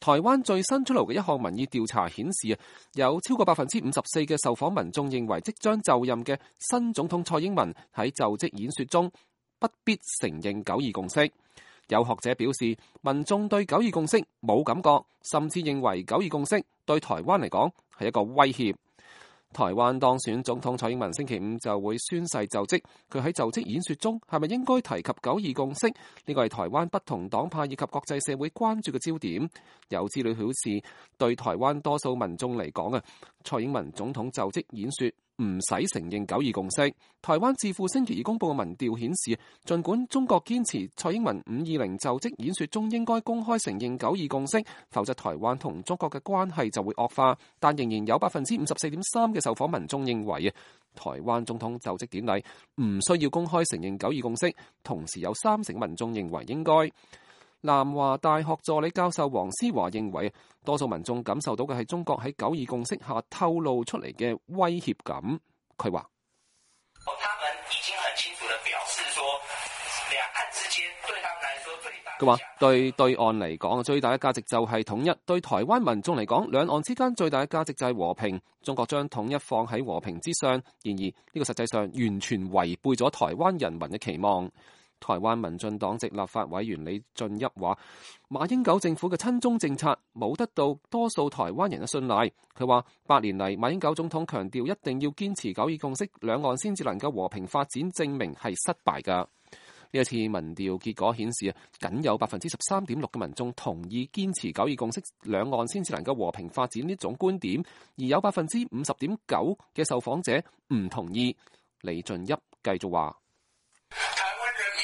台灣最新出爐嘅一項民意調查顯示，有超過54%嘅受訪民眾認為即將就任嘅新總統蔡英文喺就職演說中不必承認九二共識。有學者表示，民眾對九二共識冇感覺，甚至認為九二共識對台灣嚟講係一個威脅。台灣當選總統蔡英文星期五就會宣誓就職，佢喺就職演說中係咪應該提及九二共識？呢個係台灣不同黨派以及國際社會關注嘅焦點。有資料顯示，對台灣多數民眾嚟講蔡英文總統就職演說唔使承認九二共識。台灣智庫星期二公佈嘅民調顯示，儘管中國堅持蔡英文520就職演說中應該公開承認九二共識，否則台灣同中國嘅關係就會惡化，但仍然有54.3%嘅受訪民眾認為台灣總統就職典禮唔需要公開承認九二共識，同時有30%民眾認為應該。南華大學助理教授黃思華認為，多數民眾感受到嘅係中國喺九二共識下透露出嚟嘅威脅感。佢話：他們已經很清楚地表示說，兩岸之間對他們來說最大。佢話對岸嚟講，最大嘅價值就係統一；對台灣民眾嚟講，兩岸之間最大嘅價值就係和平。中國將統一放喺和平之上，然而呢個實際上完全違背咗台灣人民嘅期望。台灣民進黨籍立法委員李俊一話：馬英九政府嘅親中政策冇得到多數台灣人嘅信賴。佢話8年嚟，馬英九總統強調一定要堅持九二共識，兩岸先至能夠和平發展，證明係失敗㗎。呢一次民調結果顯示，僅有13.6%嘅民眾同意堅持九二共識，兩岸先至能夠和平發展呢種觀點，而有50.9%嘅受訪者唔同意。李俊一繼續話：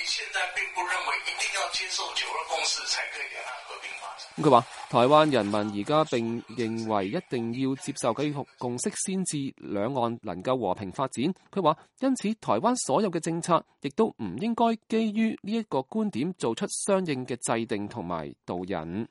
現在並不認為一定要接受九二共識才可以兩岸和平發展。佢話台灣人民而家並認為一定要接受九二共識先至兩岸能夠和平發展。佢話因此台灣所有嘅政策亦都唔應該基於呢一個觀點做出相應嘅制定同埋導引。